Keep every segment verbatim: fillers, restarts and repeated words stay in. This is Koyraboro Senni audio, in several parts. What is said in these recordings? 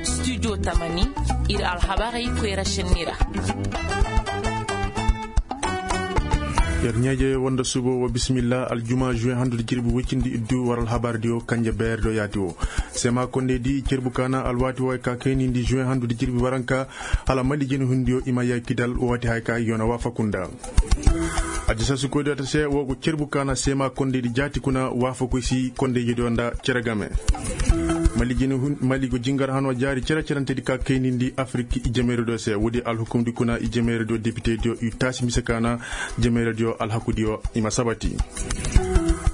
Studio tamani, ir alhabarey koyra šenni ra. Yer ɲaaje wanda subo wa bisimilla aljuma juwe handu da jirbi woy cindi iddu war alhabar diyo kanje beer do yaati wo. Sema konde di cerbu kaana alwaati wo ay ka kaynindi juwe handu da jirbi waranka, hala mali jina hundiyo i ma yaakidal waati hay ka yoona waafaku nda. Addisaasi koydiyo ta se wo go cerbu kaana seema kondeydi jaati kuna waafakoy si kondeydiyo nda cere game. Mali go jingar hanoo jaari cere-cerentedi ka kaynindi afirik i jemeerediyo se woodi alhukumdi kuna i jemeerediyo depitediyo i taasi mise kaana jemeerediyo alhakudiyo i ma sabati.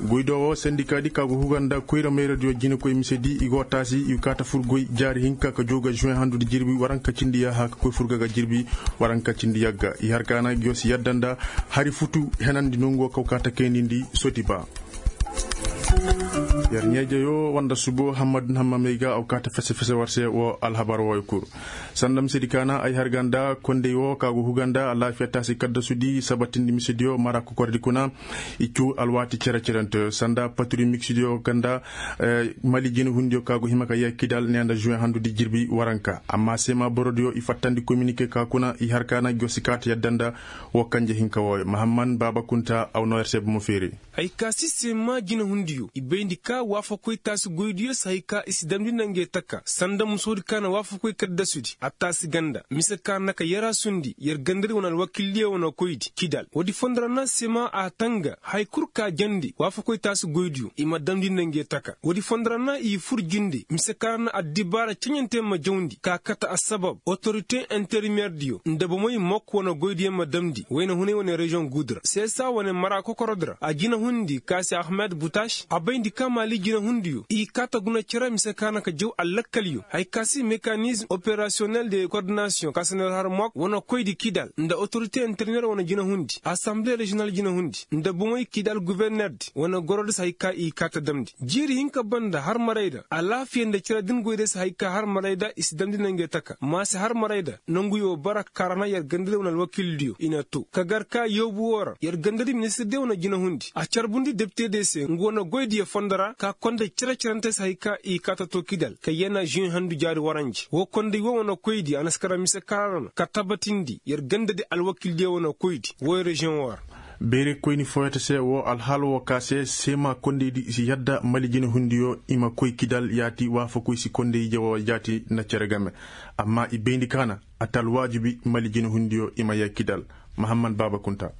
Goydiyo wo sendikaadi ka go huga nda koyra meerediyo jinekoy misedi i go taasi i kaa ta fur goy jaari hinka ka jooga žuwen handudi jirbi waranka cindi yaaha ka koy fur ga ga jirbi waranka cindi yagga i har kaana ngi yo si yadda nda hari futu henandi nonguwo kaw kaa ta kaynindi soti ba. Yer ɲeejeyo wanda subo hammad hammamey ga aw kaa ta fese-fese war se wo alhabar wooyo kul. Sanda misedi kaana ay har ga nda kondey wo ka go huga nda alaafiya taasi kaddasudi sabatindi misediyo mara kokordi kuna. I cuu alwaati cere-cerente sanda paturi miksidiyo ga nda mali jinehundiyo ka go hima ka yee kidal ne nda žuwen handudi jirbi waranka amma seema borodiyo i fattandi kominike ka kuna i har kaana ngi yo si kaa ta yadda nda. Woo kanje hinka wooyo mahamman baaba kunta aw noo yer se bomo feeri. Hay ka si seema jinehundiyo i bayndi ka waafakoy taasi goydiyo si hay ka i si damndi nda nge taka sanda musoodi ka na waafakoy kaddasudi a taasi ganda mise ka na ka yaraasundi yer gandadi wane alwakildiyo wane koydi kidal woodi fondo ra na seema a tanga hay kul ka jandi waafakoy taasi goydiyo i ma damndi nda nge taka woodi fondo ra na i fur jinde mise ka na addibaara ceɲante ma jawndi ka kate assabab otorite intermeerdiyo nda bomey mok wane goydiyo ma damndi wayna hunay wane reziyoŋ guudu ra seesa wane mara kokorodi ra a jinahundi ka se ahmed butaš a bayndi ka maali jinahundiyo i kaa ta guna cere mise ka na ka jaw allakkalyo hay ka si mekanizm operasiyonel de kordinasiyoŋ ka se na har mok wane koydi kidal nda otorite interneer wane jinahundi asanble reziyonal jinahundi nda bomey kidal guvernerdi wane gorodi si hay ka i kaa ta damndi jiiri hinka banda har marayda alaafiya nda cere din goyda si hay ka har marayda i si damndi nangey taka ma si har marayda nonguyo bara ka ra na yer gandadi wane alwakildiyo i na too ka gar ka yoobu woo ra yer gandadi ministirdiyo wane jinahundi a carbundi depitediyo se ngu wane goydiyo fondo ra ka konda cere-cerente si hay ka i kaa ta too kidal ka yee na žuwen handu jaari waranje woo konday woo wane koydi a na si kara mise ka ra na ka tabatindi yer gandadi alwakildiyo wane koydi wooyo reziyoŋ woo ra. Beerey koyni fooyoo ta se woo alhaal woo ka se seema kondaydi i si yadda mali jinehundiyo i ma koy kidal yaati waafakoy si konday ije woo jaati na cere game. Amma i bayndi kaana a ta alwaajibi mali jinehundiyo i ma yee kidal. Mahamman baaba kunta.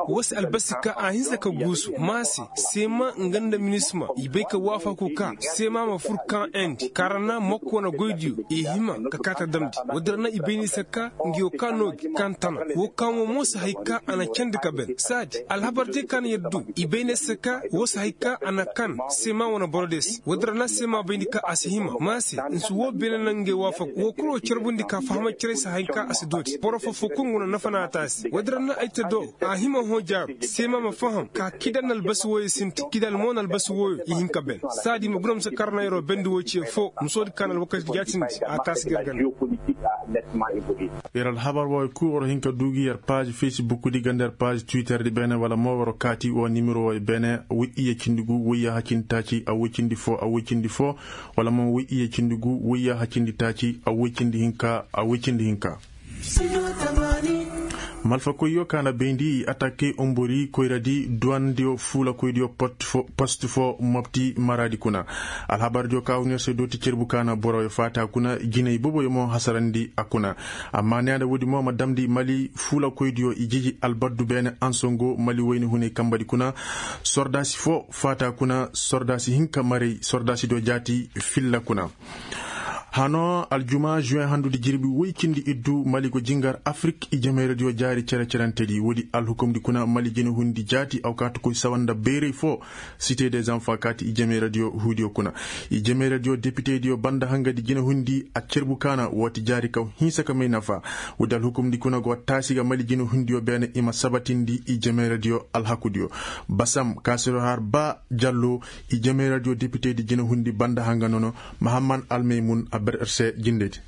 Woo se albasi ka a hinsa ka guusu ma se seema nga nda minisma i bay ka waafaku ka seema ma fur ka endi ka ra na mokko wane goydiyo i hima ka kaa ta damndi woodi ra na i bay ni se ka ngiyo ka noo gi ka na tana woo ka mo mo si hay ka a na candi ka ben saadi alhabardiyo ka na yer du i bay ni se ka woo si hay ka a na kan seema wane borodiyo se woodi ra na seema bayndi ka a si hima ma se nsi woo beene na ngey waafaku woo kul woo carbundi ka fahamacerey si hay ka a si dooti boro foo foo kul ngu na nafa na a taasi woodi ra na ay te do a hima hõ jaaru seema ma faham ka kidal na albasi wooyo sinti kidal mo na albasi wooyo i hin ka ben saadi ma guna muse kar na yeroo bendi woo ciye foo musoodi ka na alwakati jaatindi a taasi garganda. Yer alhabar wooyo kul war hin ka duu gi yer paazi fesibukdi ganda yer paazi twitterdi beene wala mo war kaati woo nimero wooyo beene woy iyye cindi gu woy yaaha cindi taaci a woy cindi foo a woy cindi foo wala mo woy iyye cindi gu woy yaaha cindi taaci a woy cindi hinka a woy cindi hinka. Malfakoyyo ka na bayndi i atake ombori koyradi duwandiyo fuulakoydiyo post fo mopti maraadi kuna. Alhabardiyo ka huna yer se dooti cerbu ka na boroyo faata kuna jinay boboyo mo hasarandi a kuna. Amma neena woodi mo ma damndi mali fuulakoydiyo i jiji albaddu beene ansongo mali wayni hunay kambadi kuna. Sordaasi fo faata kuna sordaasi hinka maray sordaasidiyo jaati filla kuna. Hanoo aljuma žuwen handudi jirbi woy cindi iddu mali go jingar afirik i jemeeradiyo jaari cere-cerentedi woodi alhukumdi kuna mali jinahundi jaati aw kaati koy sawa nda bayray foo. Site de zanfa kaati i jemeeradiyo huudiyo kuna i jemeeradiyo depitediyo banda hangadi jinahundi a cerbu kaana wooti jaari kaw hinsa ka may nafa. Woodi alhukumdi kuna go taasi ga mali jinahundiyo beene i ma sabatindi i jemeeradiyo alhakudiyo. Basam kaasiro har ba jallo i jemeeradiyo depitedi jinahundi banda hanga nono. Mahamman almaymun a ber er se jindedi.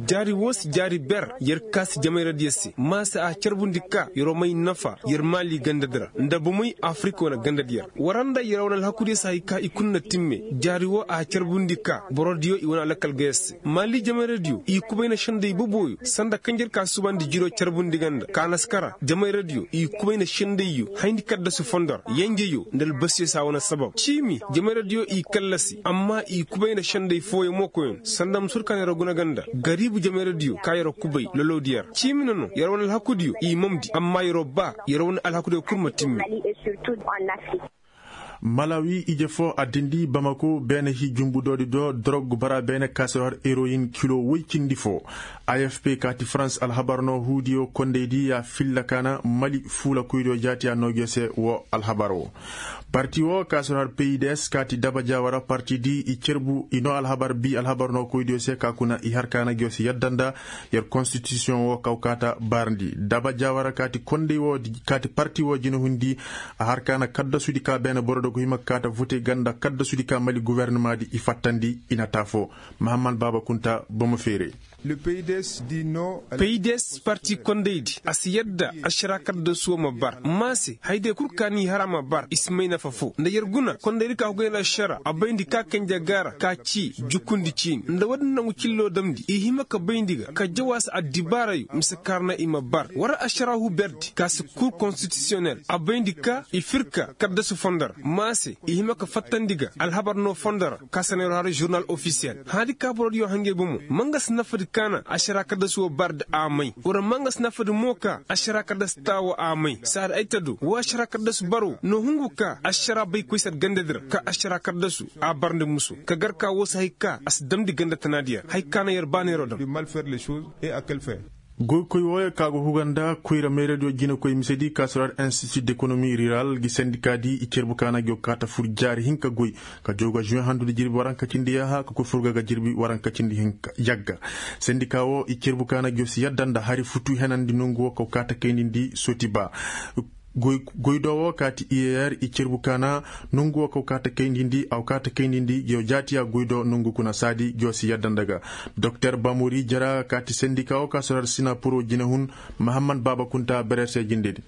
Jaari woo si jaari ber yer kaasi jamayradiyo se maa se a carbundi ka yer'o may nafa yer maali gandadi ra nda bomey afirik wane gandadi yer. War nda yer wane alhakudiyo se hay ka i kul na timme. Jaari woo a carbundi ka borodiyo i wane alakal ga yer se maali jamayradiyo i kubayna sendey boboyo sanda kanjer ka subandi jiro carbundi ga nda ka naskara jamayradiyo i kubayna sendeyyo hayndi kaddasu fondo ra yenjeyo nda albasiyo se a wane sabab ciimi. Jamayradiyo i kallasi amma i kubayna sendey fooyo mookoyon sanda ma sur ka na yer guna ga nda gariibu jamayradiyo ka yer kubay lolowdi yer ciimi nono yer wane alhakudiyo i mamdi amma yer baa yer wane alhakudiyo kul ma timmi. Malawi ije foo a dindi bamako beene hii jumbudoodi do dorog bara beene ka se har eroyin kilo woy cindi foo. Afp kaati farans alhabar no huudiyo kondaydi ya filla kaana mali fuula koydiyo jaati a noogiyo se woo alhabar woo. Parti woo ka se har peydes kaati daba jaawara partidi i cerbu i noo alhabar bii alhabar no koydiyo se ka kuna i har kaana giyo se yadda nda yer konstitisiyoŋ woo kaw kaata barndi daba jaawara kaati konday woo kaati parti woo jinahundi. A har kaana kaddasudi ka beene boro do go hima kaata vote ganda kaddasudi ka mali gofornamaadi i fattandi i na taafo. Mahammad baaba kunta bomo feere. Peydes parti kondaydi a si yadda ašara kaddasu woo ma bar maa se haydiyo kul ka ni har a ma bar i si may nafa foo nda yer guna kondaydi ka hugay nda ašara a bayndi ka kanje gaara ka cii jukundi ciini nda woodin nangu cillo damndi i hima ka bayndi ga ka jawaasi addibaarayo mise kaarna i ma bar war ašara huberdi ka si kur konstitisiyonel a bayndi ka i firka kaddasu fondo ra maa se i hima ka fattandi ga alhabar no fondo ra ka se na yer har žurnal ofisiyel haadi ka borodiyo hangey bomo ma nga si nafadi ka na ašara kaddasu woo bardi a may war ma nga si nafadi mo ka ašara kaddasu taa woo a may saadi ay ta do woo ašara kaddasu baroo no hungu ka ašara bay koy se gandadi ra ka ašara kaddasu a barndi musu ka gar ka woo si hay ka a si damndi ganda tanaadiyo ra hay ka na yer baa neeroo dam. Goykoy wooyo ka go huga nda koyra mayradiyo jinekoy misedi ka si ra ar institut d'economie rural gi sendikaadi i cerbu ka na giyo kaata fur jaari hinka goy ka jooga žuwe handudi jirbi waranka cindi yaaha ka koy fur ga ga jirbi waranka cindi hinka yagga. Sendika woo i cerbu ka na giyo si yadda nda hari futu henandi nongu woo ka kaata kayndi ndi soti ba. Goydoo woo kaati iyer i cerbu kaana nongu woo kaw kaata kayndi ndi aw kaata kayndi ndi giyo jaatiya goydoo nongu kuna saadi giyo si yadda nda ga. Doktor bamori jara kaati sendika woo ka sorar sina puroo jinehun. Mahammad baaba kunta berer se jindedi.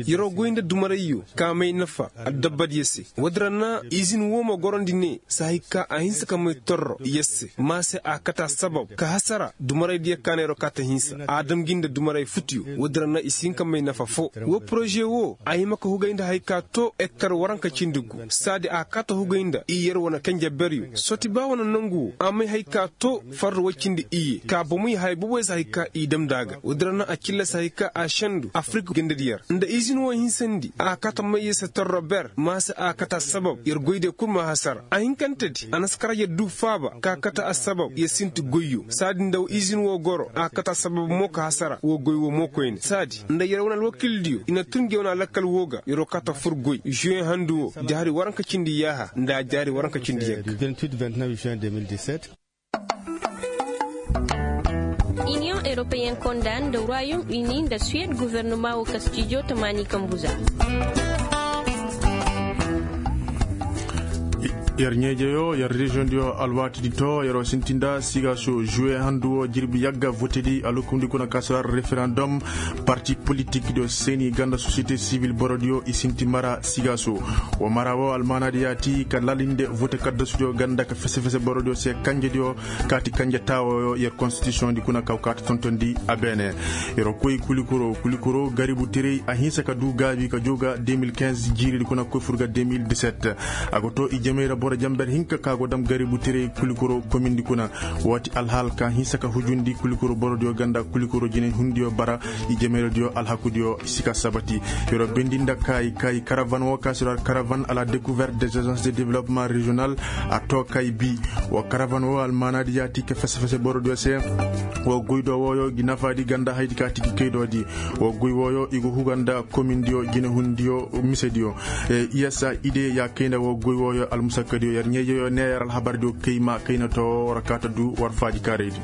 Yer'o goy nda dumarayyo ka may nafa addabbadiyo se. Woodin ra na izin woo ma gorondi ne sahay ka a hinsa ka may torro yer se ma se a kata sabab ka hasara dumaraydiyo ka na yer'o kaata hinsa a dam gi nda dumaray futuyo. Woodin ra na i si hin ka may nafa foo woo poroze woo a hima ka hugay nda hay ka too ektar waranka cindi gu saadi a kaata hugay nda i yer wane kanje beryo soti ba wane nongu woo a may hay ka too farra woy cindi iyye ka bomoy haya boboy se hay ka i dam nda a ga woodin ra na a cillasi hay ka a sendu afirik gandadi yer nda izin woo hinsandi a kaata may yer se torro ber ma se a kaata sabab yer goydiyo kul ma hasara a hinkantedi a na si kar yer du faaba ka kaata assabab yer sinti goyyo saadi nda izin woo goro a kaata sabab mo ka hasara woo goy woo mo koyne saadi nda yer wane alwakildiyo i na tun nge wane alakkal woo ga yer'o kaata fur goy žuwe handu woo jaari waranka cindi yaaha nda jaari waranka cindi yagga. Iniyoŋ eropeyen konda nda royom ini nda suwed gofornoma woo kastijo tamaani kambuza. Yer ɲeejeyo yer reziyoŋdiyo alwaatidi to yer'o sinti nda sigaso žuwe handu woo jirbi yagga votedi alhukumdi kuna kasara referandom. Parti politikdiyo seeni ganda sosiyete sivil borodiyo i sinti mara sigaso. Woo mara woo almaanaadi yaati ka lalinde vote kaddasudiyo ganda ka fese fese borodiyo se kanjediyo kaati kanje taawooyo yer konstitisiyoŋdi kuna kaw kaata tontondi a beene. Yer'o koy kulikoro kulikoro garibu tirey a hinsa ka duu gaabi ka joo ga de mil kinz jiiridi kuna koy fur ga de mil diset. A go too ijemey ra boro jenber hinka ka go dam garibu tirey kulikoro komindi kuna. Waati alhaal ka hinsa ka hujundi kulikoro borodiyo ganda kulikoro jinehundiyo bara. Ijemey ra diyo alhakudiyo si ka sabati. Yer'o bendi nda kaayi kaayi karavan woo ka si ra karavan a la dekuvert des agences de developement reziyonal. A too kay bi woo karavan woo almaanaadi yaati ka fese fese borodiyo se. Woo goydoo wooyo gi nafaadi ganda haydi ka tigi kaydoodi. Woo goy wooyo i go huga nda komindiyo jinehundiyo misediyo. Iyasa ide ya kayna woo goy wooyo almusakkadiyo yer ɲeejeyo ne yer alhabardiyo kay ma kayna too war kaata du war faaji kaaraydi.